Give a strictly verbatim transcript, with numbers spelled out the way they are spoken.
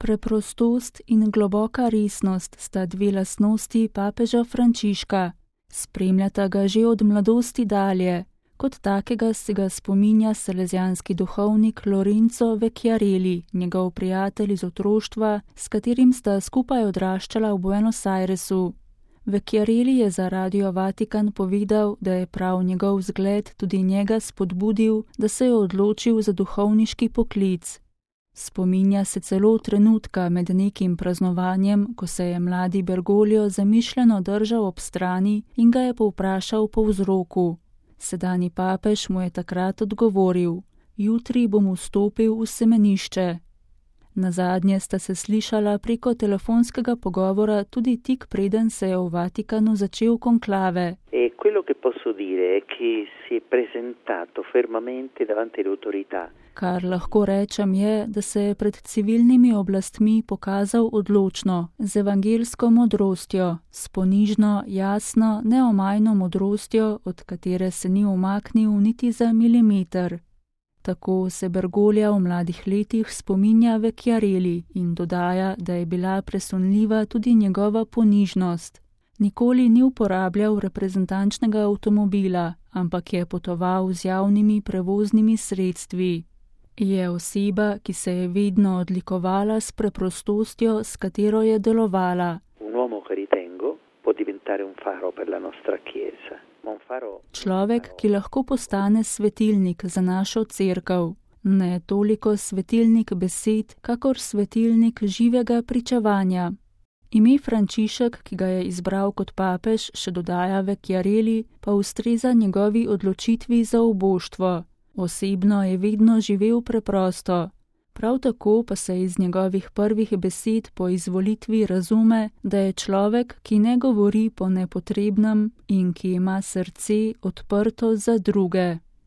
Preprostost in globoka resnost sta dve lastnosti papeža Frančiška. Spremljata ga že od mladosti dalje. Kot takega se ga spominja salezijanski duhovnik Lorenzo Vecchiarelli, njegov prijatelj iz otroštva, s katerim sta skupaj odraščala v Buenos Airesu. Vecchiarelli je za Radio Vatikan povedal, da je prav njegov zgled tudi njega spodbudil, da se je odločil za duhovniški poklic. Spominja se celo trenutka med nekim praznovanjem, ko se je mladi Bergoglio zamišljeno držal ob strani in ga je povprašal po vzroku. Sedanji papež mu je takrat odgovoril: jutri bom vstopil v semenišče. Nazadnje sta se slišala preko telefonskega pogovora tudi tik preden se je v Vatikanu začel konklave. E quello che posso dire è che si è presentato fermamente davanti alle autorità. Kar lahko rečem je, da se je pred civilnimi oblastmi pokazal odločno, z evangelsko modrostjo, s ponižno, jasno, neomajno modrostjo, od katere se ni umaknil niti za milimeter. Tako se Bergoglja v mladih letih spominja Vecchiarelli in dodaja, da je bila presunljiva tudi njegova ponižnost. Nikoli ni uporabljal reprezentančnega avtomobila, ampak je potoval z javnimi prevoznimi sredstvi. Je oseba, ki se je vedno odlikovala s preprostostjo, s katero je delovala. Človek, ki lahko postane svetilnik za našo cerkev. Ne toliko svetilnik besed, kakor svetilnik živega pričevanja. Ime Frančišek, ki ga je izbral kot papež, še dodaja Vecchiarelli, pa ustreza njegovi odločitvi za oboštvo. Osebno je vedno živel preprosto. Prav tako pa se iz njegovih prvih besed po izvolitvi razume, da je človek, ki ne govori po nepotrebnem in ki ima srce odprto za druge.